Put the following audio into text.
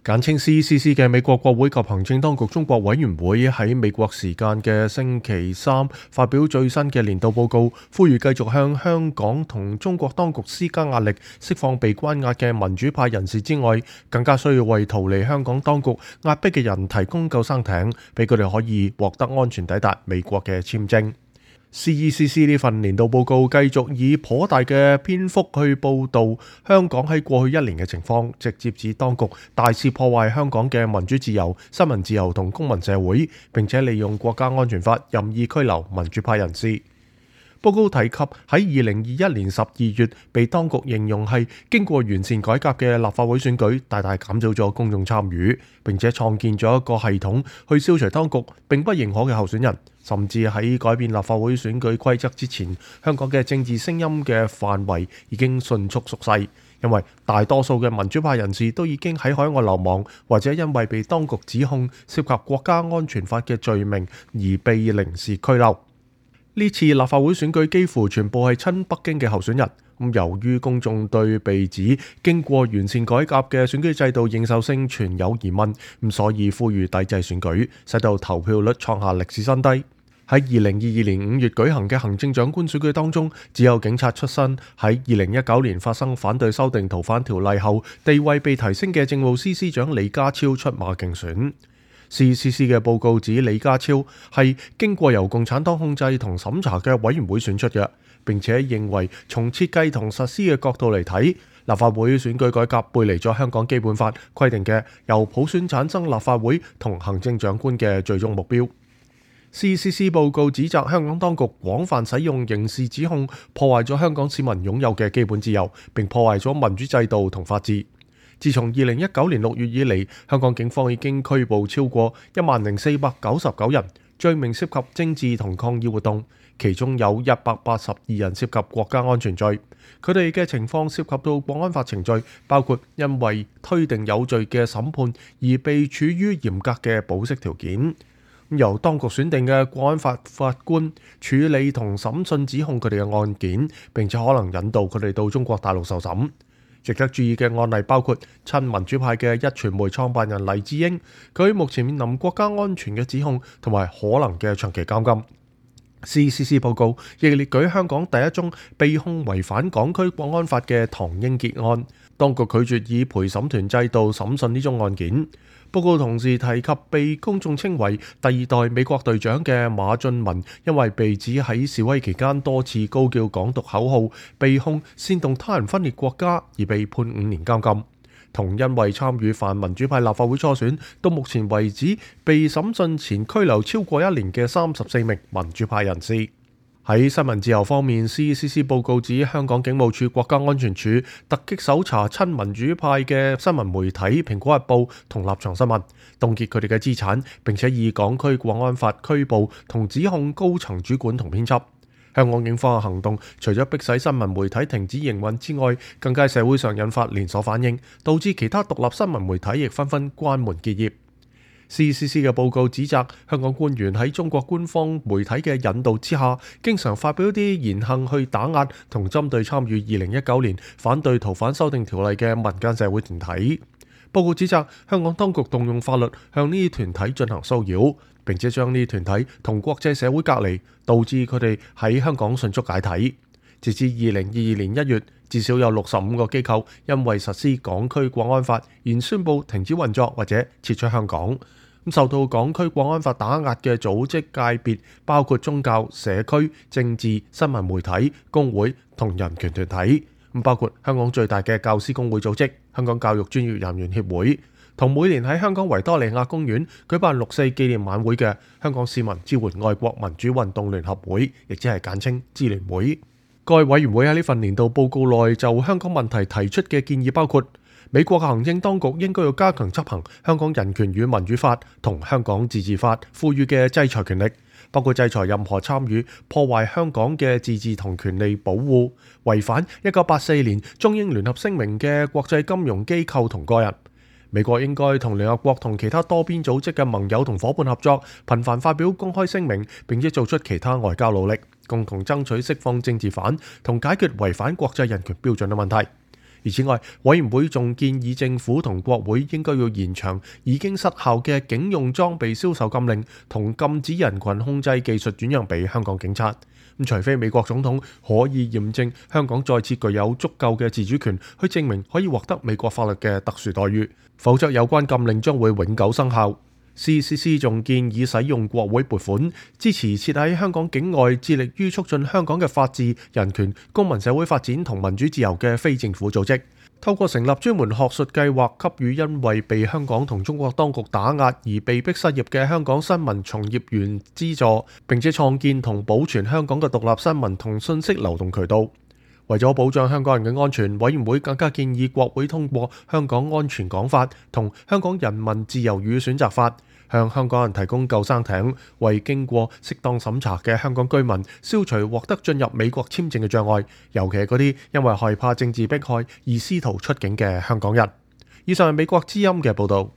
簡稱 CECC 嘅美國國會及行政當局中國委員會喺美國時間嘅星期三發表最新嘅年度報告，呼籲繼續向香港同中國當局施加壓力，釋放被關押嘅民主派人士之外，更加需要為逃離香港當局壓迫嘅人提供救生艇，俾佢哋可以獲得安全抵達美國嘅簽證。CECC 呢份年度報告繼續以頗大嘅篇幅去報導香港喺過去一年嘅情況，直接指當局大肆破壞香港嘅民主自由、新聞自由同公民社會，並且利用國家安全法任意拘留民主派人士。報告提及喺2021年12月被當局形容係經過完善改革嘅立法會選舉，大大減少咗公眾參與，並且創建咗一個系統去消除當局並不認可嘅候選人。甚至喺改變立法會選舉規則之前，香港嘅政治聲音嘅範圍已經迅速縮細，因為大多數嘅民主派人士都已經喺海外流亡，或者因為被當局指控涉及國家安全法嘅罪名而被臨時拘留。呢次立法會選舉幾乎全部係親北京嘅候選人。由於公眾對被指經過完善改革嘅選舉制度認受性存有疑問，所以呼籲抵制選舉，使到投票率創下歷史新低。喺2022年5月舉行嘅行政長官選舉當中，只有警察出身喺2019年發生反對修訂逃犯條例後地位被提升嘅政務司司長李家超出馬競選。CECC 嘅報告指李家超係經過由共產黨控制同審查嘅委員會選出嘅，並且認為從設計同實施嘅角度嚟睇，立法會選舉改革背離咗香港基本法規定嘅由普選產生立法會同行政長官嘅最終目標。CECC 報告指責香港當局廣泛使用刑事指控，破壞咗香港市民擁有嘅基本自由，並破壞咗民主制度同法治。自從2019年6月以嚟，香港警方已經拘捕超過10,499人，罪名涉及政治同抗議活動，其中有182人涉及國家安全罪。佢哋嘅情況涉及到國安法程序，包括因為推定有罪嘅審判而被處於嚴格嘅保釋條件。由當局選定嘅國安法法官處理同審訊指控佢哋嘅案件，並且可能引導佢哋到中國大陸受審。值得注意嘅案例包括親民主派嘅壹傳媒創辦人黎智英，佢目前面臨國家安全嘅指控同埋可能嘅長期監禁。CECC 報告亦列舉香港第一宗被控違反港區國安法嘅唐英傑案，當局拒絕以陪審團制度審訊呢宗案件。報告同時提及被公眾稱為第2代美國隊長嘅馬俊文，因為被指喺示威期間多次高叫港獨口號，被控煽動他人分裂國家而被判5年監禁。同因為參與泛民主派立法會初選，到目前為止被審訊前拘留超過1年嘅34名民主派人士。喺新聞自由方面， CECC 報告指香港警務處國家安全處突擊搜查親民主派嘅新聞媒體蘋果日報同立場新聞，凍結佢哋嘅資產，並且以港區國安法拘捕同指控高層主管同編輯。香港警方嘅行動除咗迫使新聞媒體停止營運之外，更加喺社會上引發連鎖反應，導致其他獨立新聞媒體亦紛紛關門結業。CECC 嘅報告指責香港官員喺中國官方媒體嘅引導之下，經常發表啲言行去打壓同針對參與2019年反對逃犯修訂條例嘅民間社會團體。報告指責香港當局動用法律向呢啲團體進行騷擾，並且將呢啲團體同國際社會隔離，導致佢哋喺香港迅速解體。截至2022年1月，至少有65個機構因為實施港區國安法而宣布停止運作或者撤出香港。受到港區國安法打壓嘅組織界別包括宗教、社區、政治、新聞媒體、工會同人權團體，包括香港最大嘅教師工會組織香港教育專業人員協會，同每年喺香港維多利亞公園舉辦6·4紀念晚會嘅香港市民支援愛國民主運動聯合會，亦即係簡稱支聯會。該委員會喺呢份年度報告內就香港問題提出嘅建議包括：美國嘅行政當局應該要加強執行香港人權與民主法同香港自治法賦予嘅制裁權力，包括制裁任何參與破壞香港嘅自治同權利保護、違反1984年中英聯合聲明嘅國際金融機構同個人。美國應該同聯合國同其他多邊組織嘅盟友同夥伴合作，頻繁發表公開聲明，並且做出其他外交努力，共同爭取釋放政治犯同解決違反國際人權標準嘅問題。而此外，委員會仲建議政府同國會應該要延長已經失效嘅警用裝備銷售禁令，同禁止人群控制技術轉讓俾香港警察。除非美國總統可以驗證香港再次具有足夠嘅自主權，去證明可以獲得美國法律嘅特殊待遇，否則有關禁令將會永久生效。CCC 仲建議使用國會撥款支持設喺香港境外致力於促進香港嘅法治、人權、公民社會發展同民主自由嘅非政府組織，透過成立專門學術計劃，給予因為被香港同中國當局打壓而被迫失業嘅香港新聞從業員資助，並且創建同保存香港嘅獨立新聞同信息流動渠道。為咗保障香港人嘅安全，委員會更加建議國會通過《香港安全港法》同《香港人民自由與選擇法》，向香港人提供救生艇，為經過適當審查嘅香港居民消除獲得進入美國簽證嘅障礙，尤其係嗰啲因為害怕政治迫害而試圖出境嘅香港人。以上係美國之音嘅報導。